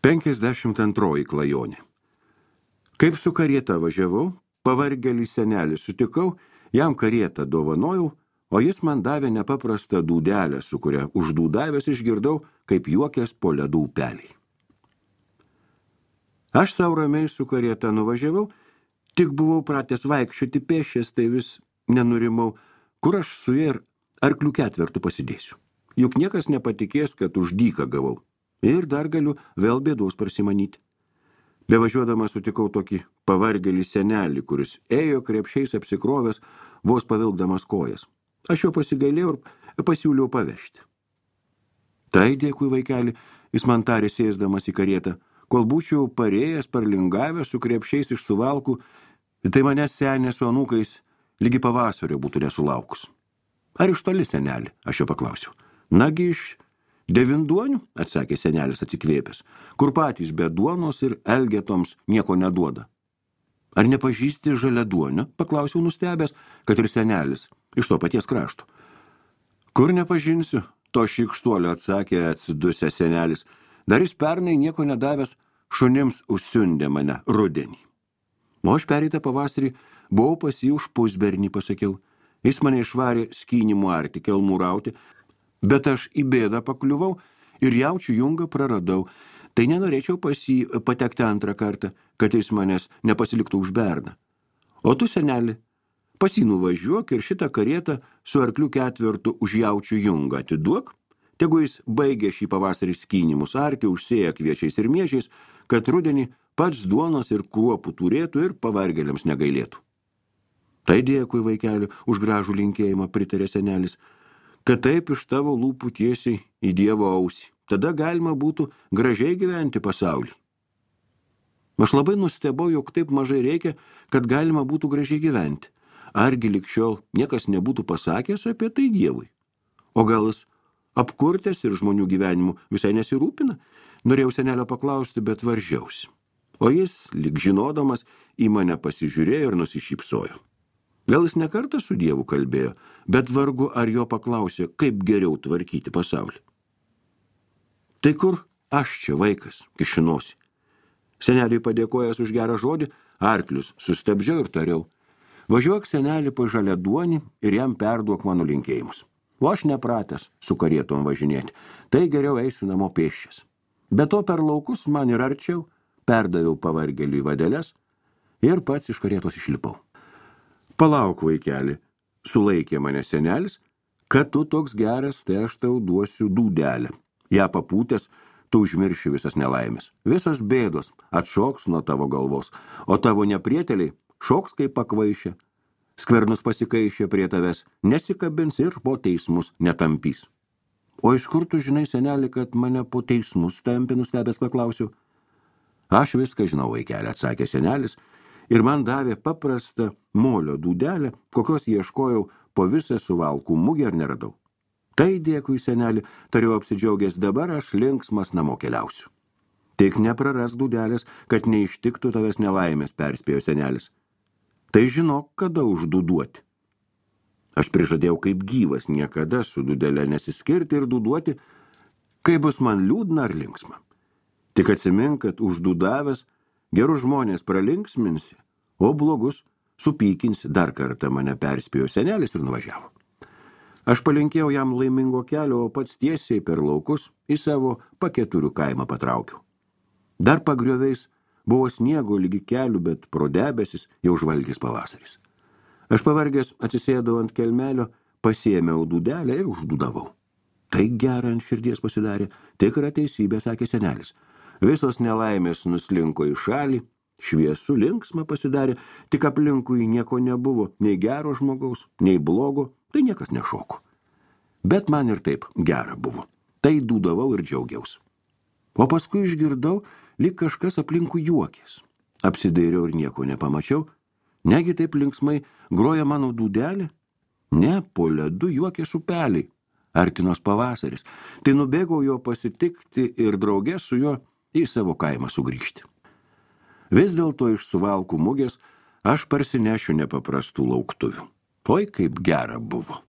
52 klajonė. Kaip su karieta važiavau, pavargelį senelį sutikau, jam karietą dovanojau, o jis man davė nepaprastą dūdelę, su kuria uždūdavęs išgirdau, kaip juokės po ledų upeliai. Aš sau ramiai su karieta nuvažiavau, tik buvau pratęs vaikščioti pėsčias, tai vis nenurimau, kur aš su ja ir arklių ketvertų pasidėsiu. Juk niekas nepatikės, kad už dyką gavau. Ir dar galiu vėl bėdos parsimanyti. Bevažiuodamas sutikau tokį pavargelį senelį, kuris ėjo krepšiais apsikrovęs, vos pavilkdamas kojas. Aš jo pasigailėjau ir pasiūliau pavežti. Tai dėkui, vaikeli, jis man tarė sėsdamas į karietą, kol būčiau parėjęs, parlingavęs su krepšiais iš Suvalkų, tai manęs senė su anūkais lygi pavasario būtų nesulaukus. Ar iš toli, senelį? Aš jo paklausiau. Nagi iš Devinduonių, atsakė senelis atsikvėpęs, kur patys be duonos ir elgetoms nieko neduoda. Ar nepažįsti Žaliaduonio? Paklausiau nustebęs, kad ir senelis iš to paties krašto. Kur nepažinsiu? To šykštuolio atsakė atsidusęs senelis. Dar jis pernai nieko nedavęs šunims užsiundė mane rudenį. O aš pereitą pavasarį buvau pas jį už pusbernį, pasakiau. Jis mane išvarė skynimų arti kelmų rauti, bet aš į bėdą pakliuvau ir jaučių jungą praradau. Tai nenorėčiau pas jį patekti antrą kartą, kad jis manęs nepasiliktų už berną. O tu, seneli, pas jį nuvažiuok ir šitą karietą su arklių ketvertu už jaučių jungą atiduok, tegu jis baigė šį pavasarį skynimus arti, užsėja kviečiais ir miežiais, kad rudenį pats duonos ir kruopų turėtų ir pavargėliams negailėtų. Tai dėkui, vaikeli, už gražų linkėjimą, pritarė senelis, kad taip iš tavo lūpų tiesiai į Dievo ausį. Tada galima būtų gražiai gyventi pasaulį. Aš labai nustebau, jog taip mažai reikia, kad galima būtų gražiai gyventi. Argi lig šiol niekas nebūtų pasakęs apie tai Dievui? O gal jis apkurtęs ir žmonių gyvenimu visai nesirūpina? Norėjau senelio paklausti, bet varžiausi. O jis, lyg žinodamas, į mane pasižiūrėjo ir nusišypsojo. Gal jis ne kartą su Dievu kalbėjo, bet vargu ar jo paklausė, kaip geriau tvarkyti pasaulį. Tai kur aš čia vaikas, kišinosi? Seneliui padėkojęs už gerą žodį, arklius sustabdžiau ir tariau. Važiuok, senelį, po Žaliaduonį ir jam perduok mano linkėjimus. O aš nepratęs su karietom važinėti, tai geriau eisiu namo pėsčias. Be to per laukus man ir arčiau, perdaviau pavargeliui vadeles ir pats iš karietos išlipau. Palauk, vaikeli, sulaikė mane senelis, kad tu toks geras, tai aš tau duosiu dūdelę. Ja papūtęs, tu užmirši visas nelaimės. Visos bėdos atšoks nuo tavo galvos, o tavo neprieteliai šoks kaip pakvaišė. Skvernus pasikaišė prie tavęs, nesikabins ir po teismus netampys. O iš kur tu žinai, seneli, kad mane po teismus tampi, nustebęs paklausiau? Aš viską žinau, vaikeli, atsakė senelis, ir man davė paprastą molio dūdelę, kokios ieškojau po visą Suvalkų mugę ir neradau. Tai dėkui, seneli, tariau apsidžiaugęs, dabar aš linksmas namo keliausiu. Tik nepraras dūdelės, kad neištiktų tavęs nelaimės, perspėjo senelis. Tai žinok, kada uždūduoti. Aš prižadėjau kaip gyvas niekada su dūdelė nesiskirti ir dūduoti, kai bus man liūdna ar linksma. Tik atsimink, kad uždūdavęs gerus žmonės pralinksminsi, o blogus supykinsi, dar kartą mane perspėjo senelis ir nuvažiavo. Aš palinkėjau jam laimingo kelio, o pats tiesiai per laukus į savo Paketurių kaimą patraukiau. Dar pagrioviais buvo sniego lygi kelių, bet pro debesis jau žvalgės pavasaris. Aš pavargęs atsisėdau ant kelmelio, pasiėmiau dūdelę ir uždūdavau. Tai gera ant širdies pasidarė, tikra teisybė, sakė senelis. Visos nelaimės nuslinko į šalį, šviesų linksma pasidarė, tik aplinkui nieko nebuvo, nei gero žmogaus, nei blogo, tai niekas nešoko. Bet man ir taip gera buvo. Tai dūdavau ir džiaugiaus. O paskui išgirdau, lyg kažkas aplinkui juokės. Apsidairiau ir nieko nepamačiau. Negi taip linksmai groja mano dūdelė? Ne, po ledu juokės upeliai. Artinos pavasaris. Tai nubėgau jo pasitikti ir drauge su juo į savo kaimą sugrįžti. Vis dėlto iš Suvalkų mugės aš parsinešiu nepaprastų lauktuvių. Oi, kaip gera buvo.